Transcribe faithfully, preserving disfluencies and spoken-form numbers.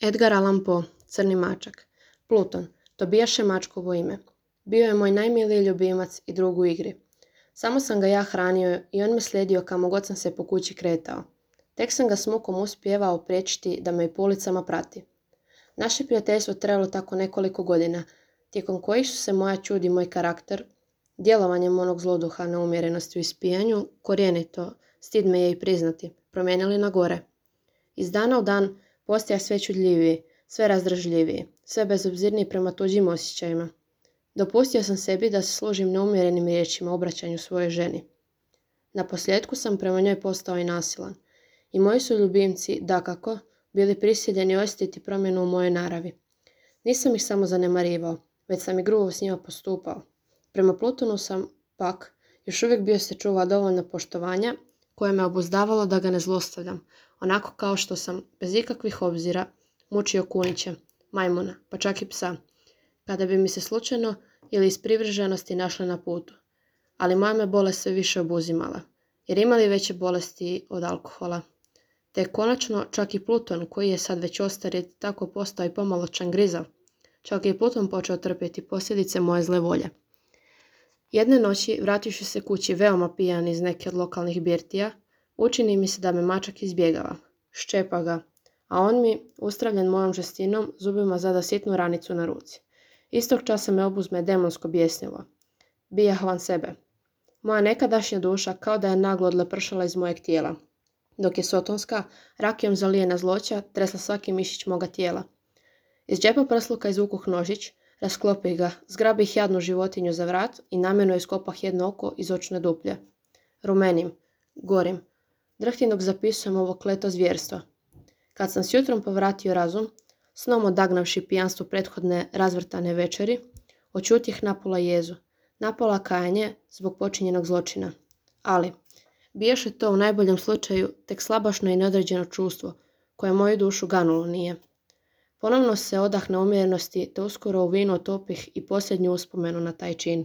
Edgar Allan Poe, Crni mačak. Pluton, to bijaše mačkovo ime. Bio je moj najmiliji ljubimac i drug u igri. Samo sam ga ja hranio i on me slijedio kamo god sam se po kući kretao. Tek sam ga s mukom uspijevao priječiti da me i po ulicama prati. Naše prijateljstvo trajalo tako nekoliko godina, tijekom kojih su se moja čud i moj karakter, djelovanjem onog zloduha neumjerenosti u ispijanju, korijenito, stid me je i priznati, promijenili na gore. Iz dana u dan postaja sve čudljiviji, sve razdražljiviji, sve bezobzirniji prema tuđim osjećajima. Dopustio sam sebi da se služim neumjerenim riječima obraćanju svojoj ženi. Na posljedku sam prema njoj postao i nasilan. I moji su ljubimci, dakako, bili prisiljeni osjetiti promjenu u mojoj naravi. Nisam ih samo zanemarivao, već sam i grubo s njima postupao. Prema Plutonu sam, pak, još uvijek bio se čuva dovoljno poštovanja koje me obuzdavalo da ga ne zlostavljam, onako kao što sam, bez ikakvih obzira, mučio kunića, majmuna, pa čak i psa, kada bi mi se slučajno ili iz privrženosti našla na putu. Ali moja me bolest sve više obuzimala, jer imali veće bolesti od alkohola. Te konačno čak i Pluton, koji je sad već ostar, tako postao i pomalo čangrizav, čak i Pluton počeo trpjeti posljedice moje zle volje. Jedne noći, vrativši se kući veoma pijan iz neke od lokalnih birtija, učini mi se da me mačak izbjegava. Ščepa ga, a on mi, ustravljen mojom žestinom, zubima zada sitnu ranicu na ruci. Istog časa me obuzme demonsko bijesnilo. Bijah van sebe. Moja nekadašnja duša kao da je naglo odlepršala iz mojeg tijela, dok je sotonska, rakijom zalijena zloća, tresla svaki mišić moga tijela. Iz džepa prsluka izvukuh nožić, rasklopih ga, zgrabih jadnu životinju za vrat i namjerno iskopah jedno oko iz očne duplje. Rumenim, gorim, drhtim dok zapisujem ovo kleto zvjerstvo. Kad sam s jutrom povratio razum, snom odagnavši pijanstvo prethodne razvrtane večeri, očutih napola jezu, napola kajanje zbog počinjenog zločina. Ali, bijaše to u najboljem slučaju tek slabašno i neodređeno čustvo, koje moju dušu ganulo nije. Ponovno se odah neumjerenosti, te uskoro u vinu otopih i posljednju uspomenu na taj čin.